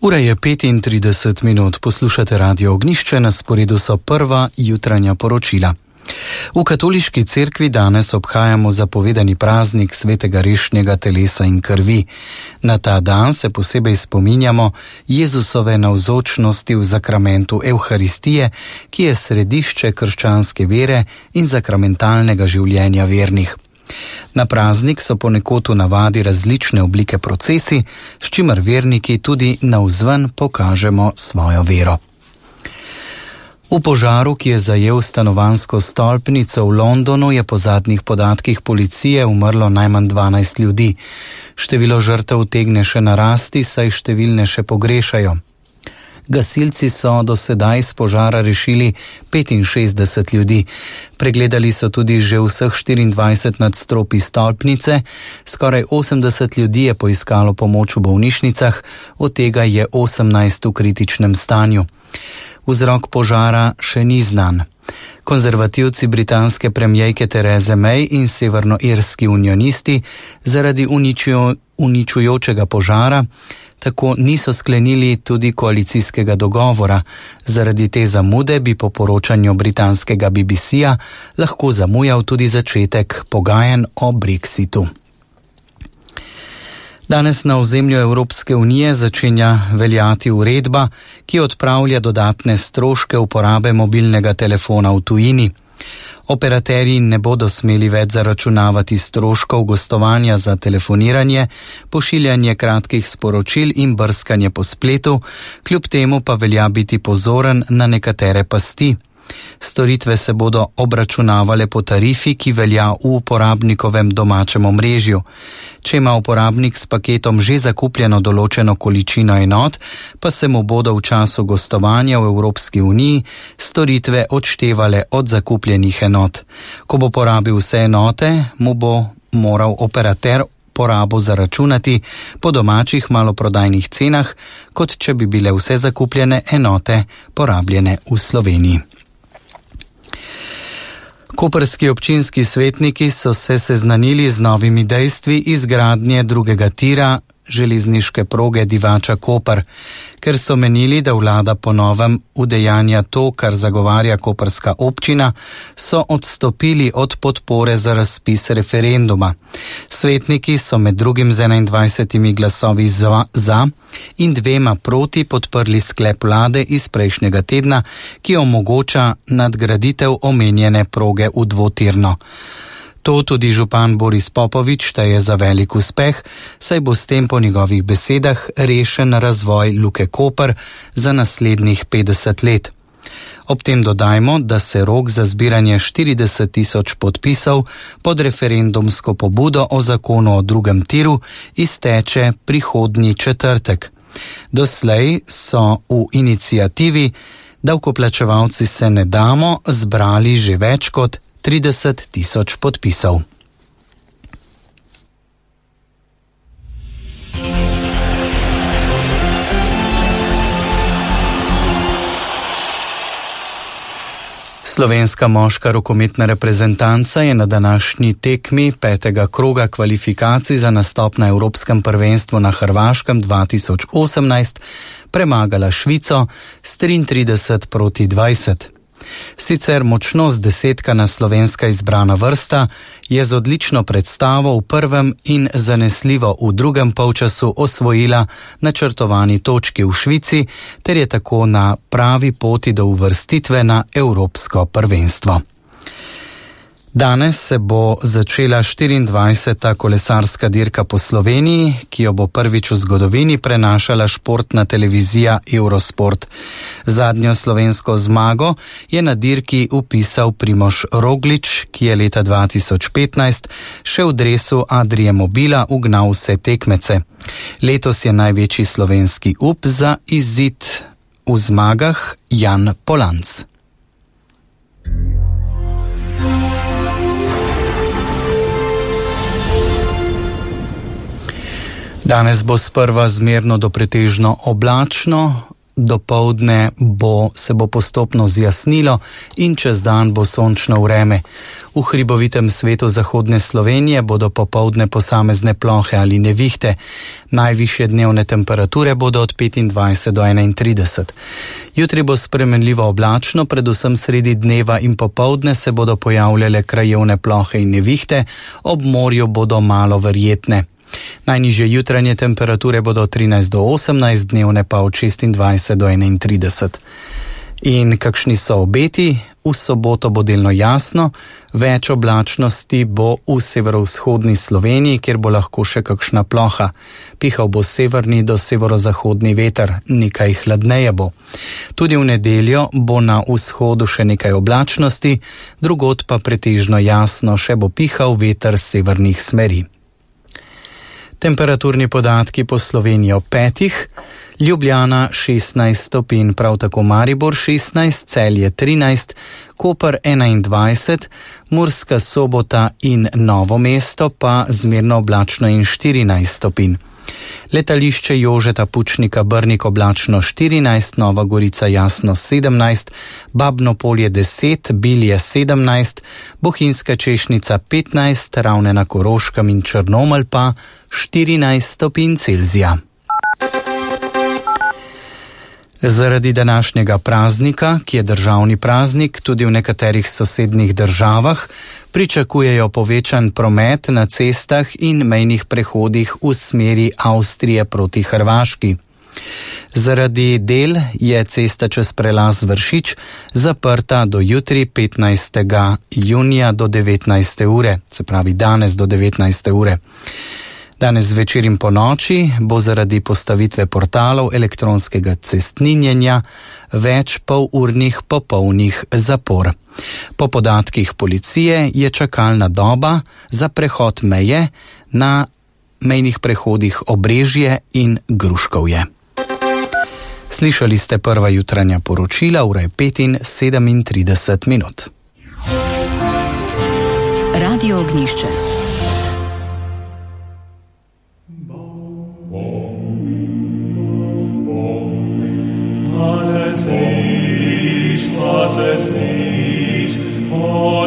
Ura je 35 minut, poslušate Radio Ognjišče, na sporedu so prva jutranja poročila. V katoliški cerkvi danes obhajamo zapovedani praznik svetega rešnjega telesa in krvi. Na ta dan se posebej spominjamo Jezusove navzočnosti v zakramentu Evharistije, ki je središče krščanske vere in zakramentalnega življenja vernih. Na praznik so ponekod v navadi različne oblike procesi, s čimer verniki tudi navzven pokažemo svojo vero. V požaru, ki je zajel stanovanjsko stolpnico v Londonu, je po zadnjih podatkih policije umrlo najmanj 12 ljudi. Število žrtev utegne še narasti, saj številne še pogrešajo. Gasilci so do sedaj iz požara rešili 65 ljudi. Pregledali so tudi že vseh 24 nadstropij stolpnice, skoraj 80 ljudi je poiskalo pomoč v bolnišnicah, od tega je 18 v kritičnem stanju. Vzrok požara še ni znan. Konzervativci britanske premijejke Therese May in severnoirski unionisti zaradi uničujočega požara tako niso sklenili tudi koalicijskega dogovora. Zaradi te zamude bi po poročanju britanskega BBC-ja lahko zamujal tudi začetek pogajanj o Brexitu. Danes na ozemlju Evropske unije začenja veljati uredba, ki odpravlja dodatne stroške uporabe mobilnega telefona v tujini. Operaterji ne bodo smeli več zaračunavati stroškov gostovanja za telefoniranje, pošiljanje kratkih sporočil in brskanje po spletu, kljub temu pa velja biti pozoren na nekatere pasti. Storitve se bodo obračunavale po tarifi, ki velja v uporabnikovem domačem omrežju. Če ima uporabnik s paketom že zakupljeno določeno količino enot, pa se mu bodo v času gostovanja v Evropski uniji storitve odštevale od zakupljenih enot. Ko bo porabil vse enote, mu bo moral operater porabo zaračunati po domačih maloprodajnih cenah, kot če bi bile vse zakupljene enote porabljene v Sloveniji. Koprski občinski svetniki so se seznanili z novimi dejstvi izgradnje drugega tira železniške proge Divača-Koper, ker so menili, da vlada po novem udejanja to, kar zagovarja koprska občina, so odstopili od podpore za razpis referenduma. Svetniki so med drugim z 21 glasovi za in 2 proti podprli sklep vlade iz prejšnjega tedna, ki omogoča nadgraditev omenjene proge v dvotirno. To tudi župan Boris Popovič šteje za velik uspeh, saj bo s tem po njegovih besedah rešen razvoj Luke Koper za naslednjih 50 let. Ob tem dodajmo, da se rok za zbiranje 40.000 podpisov pod referendumsko pobudo o zakonu o drugem tiru izteče prihodnji četrtek. Doslej so v iniciativi Davkoplačevalci se ne damo zbrali že več kot 30.000 podpisov. Slovenska moška rokometna reprezentanca je na današnji tekmi 5. kroga kvalifikacij za nastop na Evropskem prvenstvu na Hrvaškem 2018 premagala Švico s 33-20. Sicer močno zdesetkana slovenska izbrana vrsta je z odlično predstavo v prvem in zanesljivo v drugem polčasu osvojila načrtovani točki v Švici ter je tako na pravi poti do uvrstitve na Evropsko prvenstvo. Danes se bo začela 24. kolesarska dirka po Sloveniji, ki jo bo prvič v zgodovini prenašala športna televizija Eurosport. Zadnjo slovensko zmago je na dirki vpisal Primož Roglič, ki je leta 2015 še v dresu Adrie Mobila ugnal vse tekmece. Letos je največji slovenski up za izid v zmagah Jan Polanc. Danes bo sprva zmerno do pretežno oblačno, dopoldne se bo postopno zjasnilo in čez dan bo sončno vreme. V hribovitem svetu zahodne Slovenije bodo popoldne posamezne plohe ali nevihte. Najvišje dnevne temperature bodo od 25 do 31. Jutri bo spremenljivo oblačno, predvsem sredi dneva in popoldne se bodo pojavljale krajevne plohe in nevihte, ob morju bodo malo verjetne. Najnižje jutranje temperature bodo od 13 do 18, dnevne pa od 26 do 31. In kakšni so obeti? V soboto bo delno jasno, več oblačnosti bo v severovzhodni Sloveniji, kjer bo lahko še kakšna ploha. Pihal bo severni do severozahodni veter, nekaj hladneje bo. Tudi v nedeljo bo na vzhodu še nekaj oblačnosti, drugod pa pretežno jasno, še bo pihal veter severnih smeri. Temperaturni podatki po Sloveniji ob 5. Ljubljana 16 stopinj, prav tako Maribor 16, Celje 13, Koper 21, Murska Sobota in Novo mesto pa zmerno oblačno in 14 stopinj. Letališče Jožeta Pučnika Brnik oblačno 14, Nova Gorica jasno 17, Babno Polje 10, Bilje 17, Bohinjska Češnica 15, Ravne na Koroškem in Črnomelj pa 14 stopinj Celzija. Zaradi današnjega praznika, ki je državni praznik, tudi v nekaterih sosednjih državah pričakujejo povečan promet na cestah in mejnih prehodih v smeri Avstrije proti Hrvaški. Zaradi del je cesta čez prelaz Vršič zaprta do jutri 15. junija do 19. ure, se pravi danes do 19. ure. Danes zvečer in po noči bo zaradi postavitve portalov elektronskega cestninjenja več polurnih popolnih zapor. Po podatkih policije je čakalna doba za prehod meje na mejnih prehodih Obrežje in Gruškovje. Slišali ste prva jutranja poročila, ura je 5:37. Radio Ognjišče. Was es nicht, o